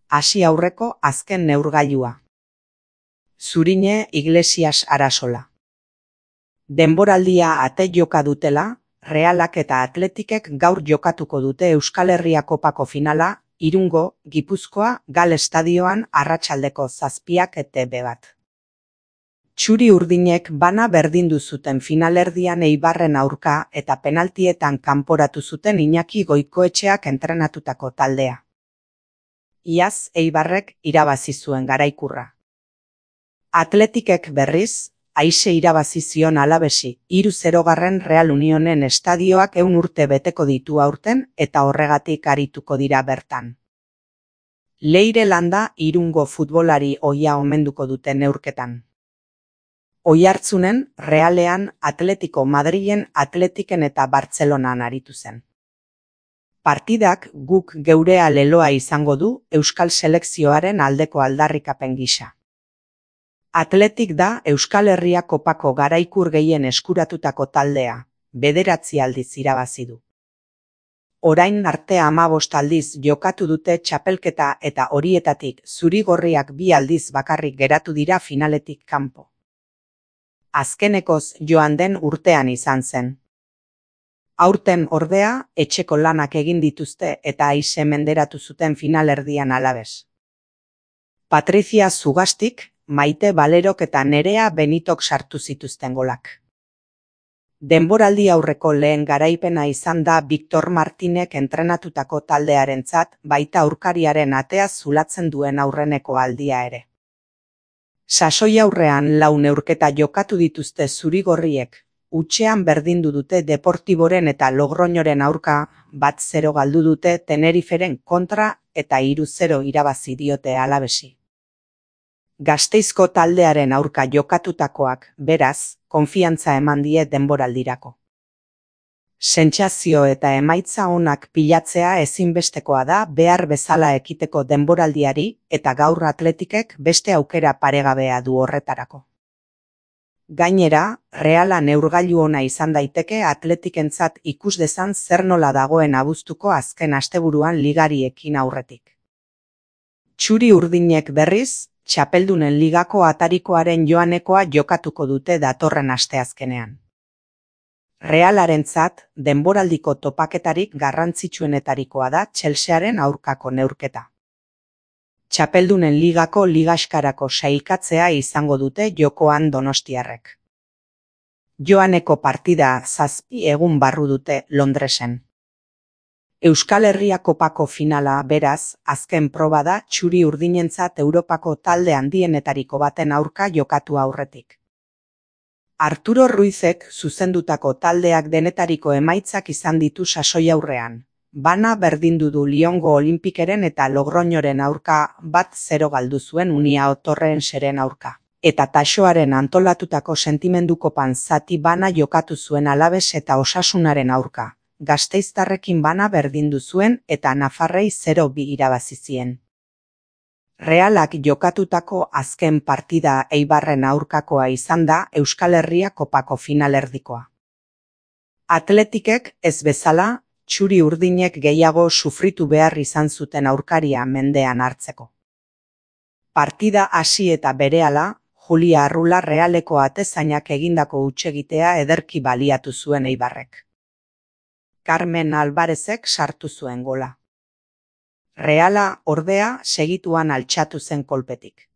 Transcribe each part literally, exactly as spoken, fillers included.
hasi aurreko azken neurgailua. Zurine Iglesias Arasola. Denboraldia ate joka dutela, Realak eta Atletikek gaur jokatuko dute Euskal Herria Kopako finala, Irungo, Gipuzkoa, Gal estadioan arratsaldeko zazpiak eta be bat. Txuri urdinek bana berdindu zuten finalerdian Eibarren aurka eta penaltietan kanporatu zuten Iñaki Goikoetxeak entrenatutako taldea. Iaz Eibarrek irabazi zuen garaikurra. Atletikek berriz, aise irabazi zion Alabesi, hiru zerogarren Real Unionen estadioak ehun urte beteko ditu aurten eta horregatik arituko dira bertan. Leire Landa Irungo futbolari ohia omenduko dute neurketan. Oihartzunen, Realean, Atletico Madrilen, Atletiken eta Bartzelonan aritu zen. Partidak guk geurea leloa izango du Euskal Selekzioaren aldeko aldarrikapen gisa. Atletik da Euskal Herria Kopako garaikur gehien eskuratutako taldea, bederatzi aldiz irabazi du. Orain arte hamabost aldiz jokatu dute txapelketa eta horietatik zuri-gorriak bi aldiz bakarrik geratu dira finaletik kanpo. Azkenekoz joan den urtean izan zen. Aurten ordea, etxeko lanak egin dituzte eta aise menderatu zuten finalerdian Alabes. Patricia Zugastik, Maite Balerok eta Nerea Benitok sartu zituzten golak. Denboraldi aurreko lehen garaipena izan da Victor Martinek entrenatutako taldearentzat, baita aurkariaren atea zulatzen duen aurreneko aldia ere. Sasoi aurrean lau neurketa jokatu dituzte zuri-gorriek, hutsean berdindu dute Deportiboren eta Logroñoren aurka, bat zero galdu dute Teneriferen kontra eta hiru zero irabazi diote Alabesi. Gasteizko taldearen aurka jokatutakoak, beraz, konfiantza eman die denboraldirako. Sentsazio eta emaitza onak pilatzea ezinbestekoa da behar bezala ekiteko denboraldiari eta gaur Atletikek beste aukera paregabea du horretarako. Gainera, Reala neurgailu ona izan daiteke Atletikentzat ikus dezan zer nola dagoen abuztuko azken asteburuan ligariekin aurretik. Txuri urdinek berriz, Txapeldunen ligako atarikoaren joanekoa jokatuko dute datorren asteazkenean. Realarentzat, denboraldiko topaketarik garrantzitsuenetarikoa da Chelsearen aurkako neurketa. Txapeldunen ligako ligaxkarako sailkatzea izango dute jokoan donostiarrek. Joaneko partida zazpi egun barru dute Londresen. Euskal Herria Kopako finala, beraz, azken proba da txuri urdinentzat Europako talde handienetariko baten aurka jokatu aurretik. Arturo Ruizek zuzendutako taldeak denetariko emaitzak izan ditu sasoi aurrean. Bana berdindu du Liongo Olimpikeren eta Logroñoren aurka bat zero galdu zuen Unia Torrenseren aurka. Eta Taxoaren antolatutako sentimendukopan zati bana jokatu zuen Alabes eta Osasunaren aurka. Gasteiztarrekin bana berdindu zuen eta Nafarrei zero bi irabazi zien. Realak jokatutako azken partida Eibarren aurkakoa izan da Euskal Herria Kopako finalerdikoa. Atletikek ez bezala, txuri urdinek gehiago sufritu behar izan zuten aurkaria mendean hartzeko. Partida hasi eta berehala, Julia Arrula Realeko atezainak egindako hutsegitea ederki baliatu zuen Eibarrek. Carmen Alvarezek sartu zuen gola. Reala, ordea, segituan altxatu zen kolpetik.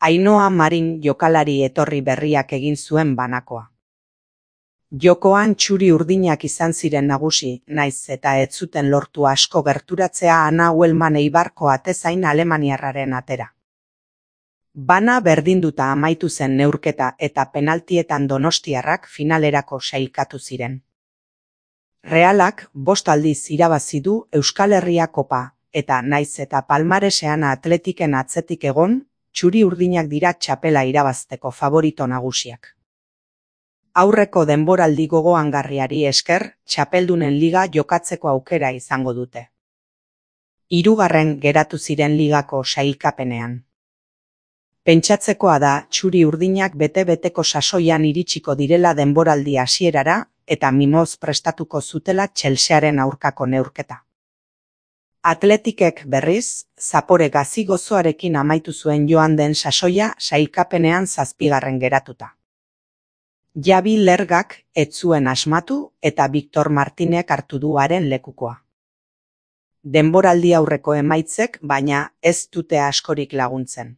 Ainhoa Marin jokalari etorri berriak egin zuen banakoa. Jokoan txuri urdinak izan ziren nagusi, naiz eta ez zuten lortu asko gerturatzea Ana Uelman Eibarko atezain alemaniarraren atera. Bana berdinduta amaitu zen neurketa eta penaltietan donostiarrak finalerako sailkatu ziren. Realak bost aldiz irabazi du Euskal Herria Kopa, eta naiz eta palmaresean Atletiken atzetik egon, txuri urdinak dira txapela irabazteko favorito nagusiak. Aurreko denboraldi gogoangarriari esker, txapeldunen liga jokatzeko aukera izango dute. Hirugarren geratu ziren ligako sailkapenean. Pentsatzekoa da txuri urdinak bete-beteko sasoian iritsiko direla denboraldi hasierara eta mimoz prestatuko zutela Chelsearen aurkako neurketa. Atletikek berriz, zapore gazi gozoarekin amaitu zuen joan den sasoia sailkapenean zazpigarren geratuta. Javi Lergak ez zuen asmatu eta Victor Martinek hartu du haren lekukoa. Denboraldi aurreko emaitzek baina ez dute askorik laguntzen.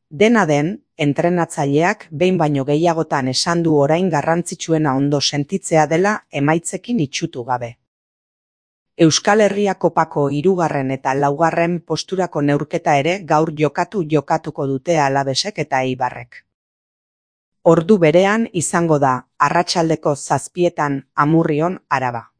Dena den, entrenatzaileak behin baino gehiagotan esan du orain garrantzitsuena ondo sentitzea dela emaitzekin itsutu gabe. Euskal Herria Kopako hirugarren eta laugarren posturako neurketa ere gaur jokatu jokatuko dute Alavesek eta Eibarrek. Ordu berean izango da, arratsaldeko zazpietan Amurrion, Araba.